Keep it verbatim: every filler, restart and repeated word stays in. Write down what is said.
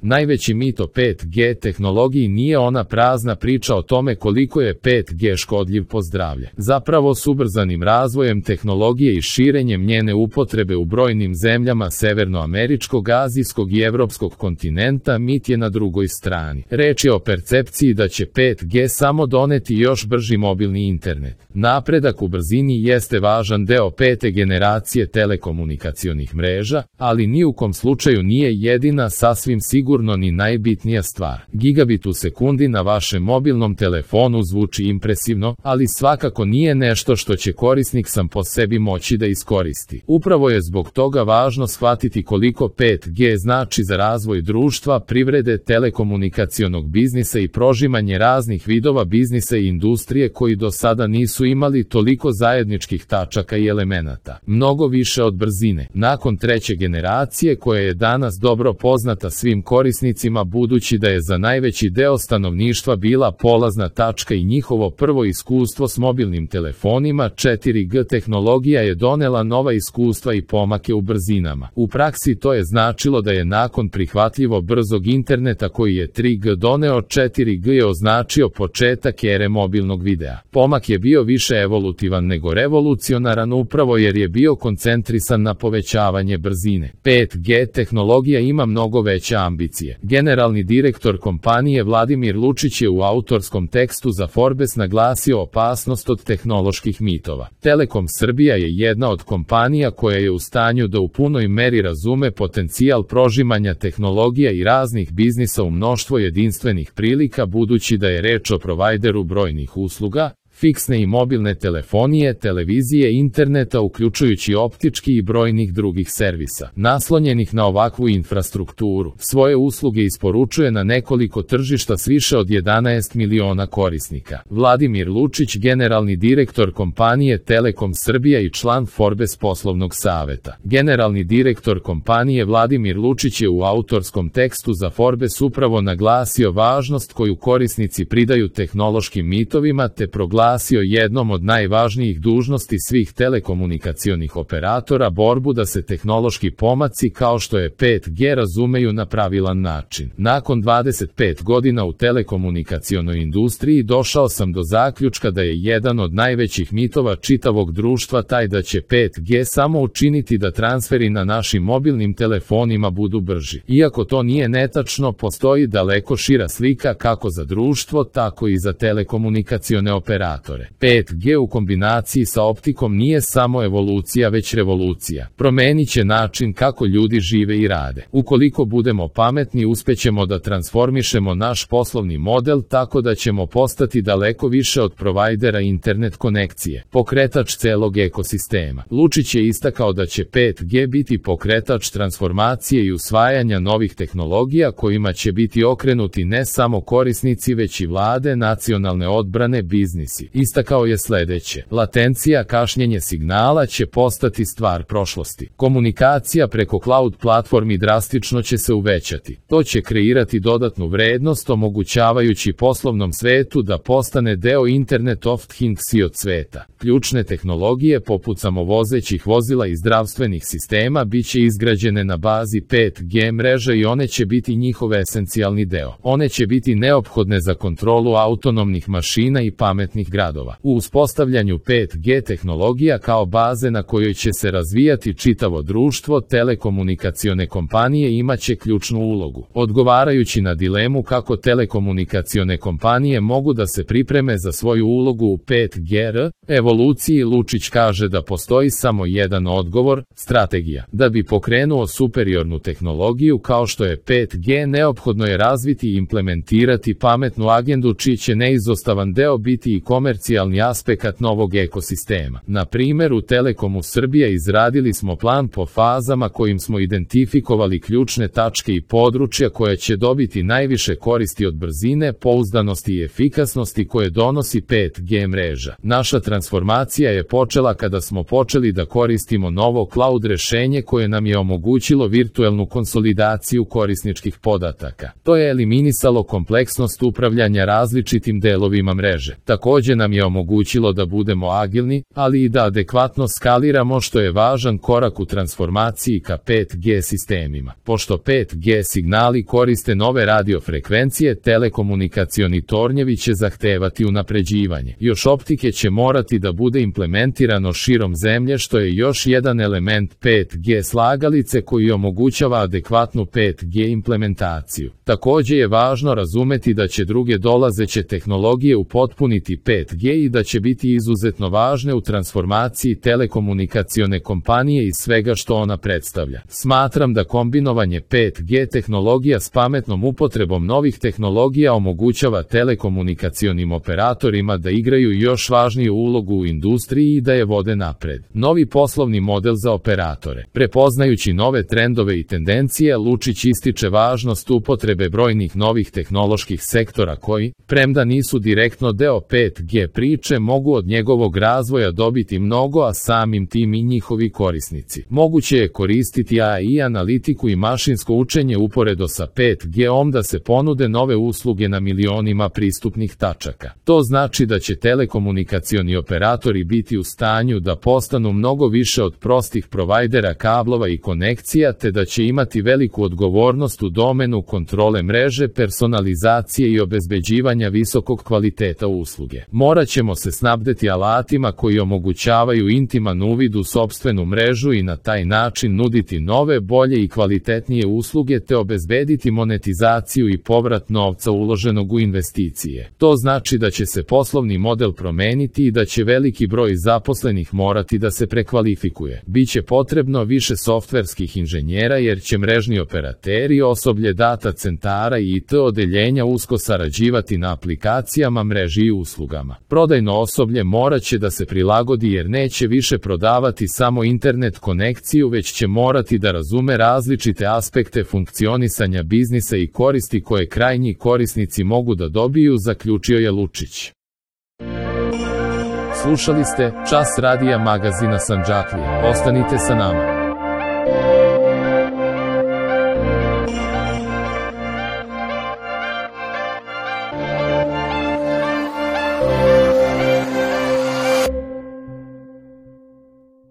Najveći mit o pet G tehnologiji nije ona prazna priča o tome koliko je pet G škodljiv po zdravlje. Zapravo s ubrzanim razvojem tehnologije i širenjem njene upotrebe u brojnim zemljama severnoameričkog, azijskog i evropskog kontinenta mit je na drugoj strani. Reč je o percepciji da će pet G samo doneti još brži mobilni internet. Napredak u brzini jeste važan deo pete generacije telekomunikacionih mreža, ali ni u kom slučaju nije jedina, sasvim sigurno ni najbitnija stvar. Gigabit u sekundi na vašem mobilnom telefonu zvuči impresivno, ali svakako nije nešto što će korisnik sam po sebi moći da iskoristi. Upravo je zbog toga važno shvatiti koliko pet G znači za razvoj društva, privrede, telekomunikacionog biznisa i prožimanje raznih vidova biznisa i industrije koji do sada nisu imali toliko zajedničkih tačaka i elemenata. Mnogo više od brzine. Nakon treće generacije, koja je danas dobro poznata svim korisnicima budući da je za najveći deo stanovništva bila polazna tačka i njihovo prvo iskustvo s mobilnim telefonima, četiri G tehnologija je donela nova iskustva i pomake u brzinama. U praksi to je značilo da je nakon prihvatljivo brzog interneta koji je tri G doneo, četiri G je označio početak ere mobilnog videa. Pomak je bio više evolutivan nego revolucionaran upravo jer je bio koncentrisan na povećavanje brzine. pet G tehnologija ima mnogo veće ambicije. Generalni direktor kompanije Vladimir Lučić je u autorskom tekstu za Forbes naglasio opasnost od tehnoloških mitova. Telekom Srbija je jedna od kompanija koja je u stanju da u punoj meri razume potencijal prožimanja tehnologija i raznih biznisa u mnoštvo jedinstvenih prilika budući da je reč o provajderu brojnih usluga, fiksne i mobilne telefonije, televizije, interneta uključujući optički i brojnih drugih servisa. Naslonjenih na ovakvu infrastrukturu, svoje usluge isporučuje na nekoliko tržišta s više od jedanaest miliona korisnika. Vladimir Lučić, generalni direktor kompanije Telekom Srbija i član Forbes poslovnog saveta. Generalni direktor kompanije Vladimir Lučić je u autorskom tekstu za Forbes upravo naglasio važnost koju korisnici pridaju tehnološkim mitovima te proglasio jednom od najvažnijih dužnosti svih telekomunikacionih operatora borbu da se tehnološki pomaci kao što je pet G razumeju na pravilan način. Nakon dvadeset pet godina u telekomunikacionoj industriji došao sam do zaključka da je jedan od najvećih mitova čitavog društva taj da će pet G samo učiniti da transferi na našim mobilnim telefonima budu brži. Iako to nije netačno, postoji daleko šira slika kako za društvo, tako i za telekomunikacione operatore. pet G u kombinaciji sa optikom nije samo evolucija već revolucija. Promenit će način kako ljudi žive i rade. Ukoliko budemo pametni, uspećemo da transformišemo naš poslovni model tako da ćemo postati daleko više od provajdera internet konekcije, pokretač celog ekosistema. Lučić je istakao da će pet G biti pokretač transformacije i usvajanja novih tehnologija kojima će biti okrenuti ne samo korisnici već i vlade, nacionalne odbrane, biznisi. Istakao je sledeće: latencija, kašnjenje signala će postati stvar prošlosti. Komunikacija preko cloud platformi drastično će se uvećati. To će kreirati dodatnu vrednost omogućavajući poslovnom svetu da postane deo Internet of Things i od sveta. Ključne tehnologije poput samovozećih vozila i zdravstvenih sistema biće izgrađene na bazi pet G mreže i one će biti njihov esencijalni deo. One će biti neophodne za kontrolu autonomnih mašina i pametnih gradova. U uspostavljanju pet G tehnologija kao baze na kojoj će se razvijati čitavo društvo, telekomunikacione kompanije imaće ključnu ulogu. Odgovarajući na dilemu kako telekomunikacione kompanije mogu da se pripreme za svoju ulogu u pet G R evoluciji, Lučić kaže da postoji samo jedan odgovor: strategija. Da bi pokrenuo superiornu tehnologiju kao što je pet G, neophodno je razviti i implementirati pametnu agendu čiji će neizostavan deo biti i komercijalni aspekt novog ekosistema. Na primjer, u Telekomu Srbija izradili smo plan po fazama kojim smo identifikovali ključne tačke i područja koja će dobiti najviše koristi od brzine, pouzdanosti i efikasnosti koje donosi pet G mreža. Naša transformacija je počela kada smo počeli da koristimo novo cloud rešenje koje nam je omogućilo virtuelnu konsolidaciju korisničkih podataka. To je eliminisalo kompleksnost upravljanja različitim delovima mreže. Takođe takođe nam je omogućilo da budemo agilni, ali i da adekvatno skaliramo, što je važan korak u transformaciji ka pet G sistemima. Pošto pet G signali koriste nove radiofrekvencije, telekomunikacioni tornjevi će zahtevati unapređivanje. Još optike će morati da bude implementirano širom zemlje, što je još jedan element pet G slagalice koji omogućava adekvatnu pet G implementaciju. Takođe je važno razumeti da će druge dolazeće tehnologije upotpuniti pet G i da će biti izuzetno važne u transformaciji telekomunikacione kompanije i svega što ona predstavlja. Smatram da kombinovanje pet G tehnologija s pametnom upotrebom novih tehnologija omogućava telekomunikacionim operatorima da igraju još važniju ulogu u industriji i da je vode napred. Novi poslovni model za operatore. Prepoznajući nove trendove i tendencije, Lučić ističe važnost upotrebe brojnih novih tehnoloških sektora koji, premda nisu direktno deo pet G priče, mogu od njegovog razvoja dobiti mnogo, a samim tim i njihovi korisnici. Moguće je koristiti A I analitiku i mašinsko učenje uporedo sa pet G om da se ponude nove usluge na milionima pristupnih tačaka. To znači da će telekomunikacioni operatori biti u stanju da postanu mnogo više od prostih provajdera kablova i konekcija, te da će imati veliku odgovornost u domenu kontrole mreže, personalizacije i obezbeđivanja visokog kvaliteta usluge. Morat ćemo se snabdeti alatima koji omogućavaju intiman uvid u sopstvenu mrežu i na taj način nuditi nove, bolje i kvalitetnije usluge te obezbediti monetizaciju i povrat novca uloženog u investicije. To znači da će se poslovni model promeniti i da će veliki broj zaposlenih morati da se prekvalifikuje. Biće potrebno više softverskih inženjera jer će mrežni operateri, osoblje data centara i I T odeljenja usko sarađivati na aplikacijama, mreži i uslugama. Prodajno osoblje morat će da se prilagodi jer neće više prodavati samo internet konekciju, već će morati da razume različite aspekte funkcionisanja biznisa i koristi koje krajnji korisnici mogu da dobiju, zaključio je Lučić. Slušali ste Čas radija magazina Sandžaklija. Ostanite sa nama.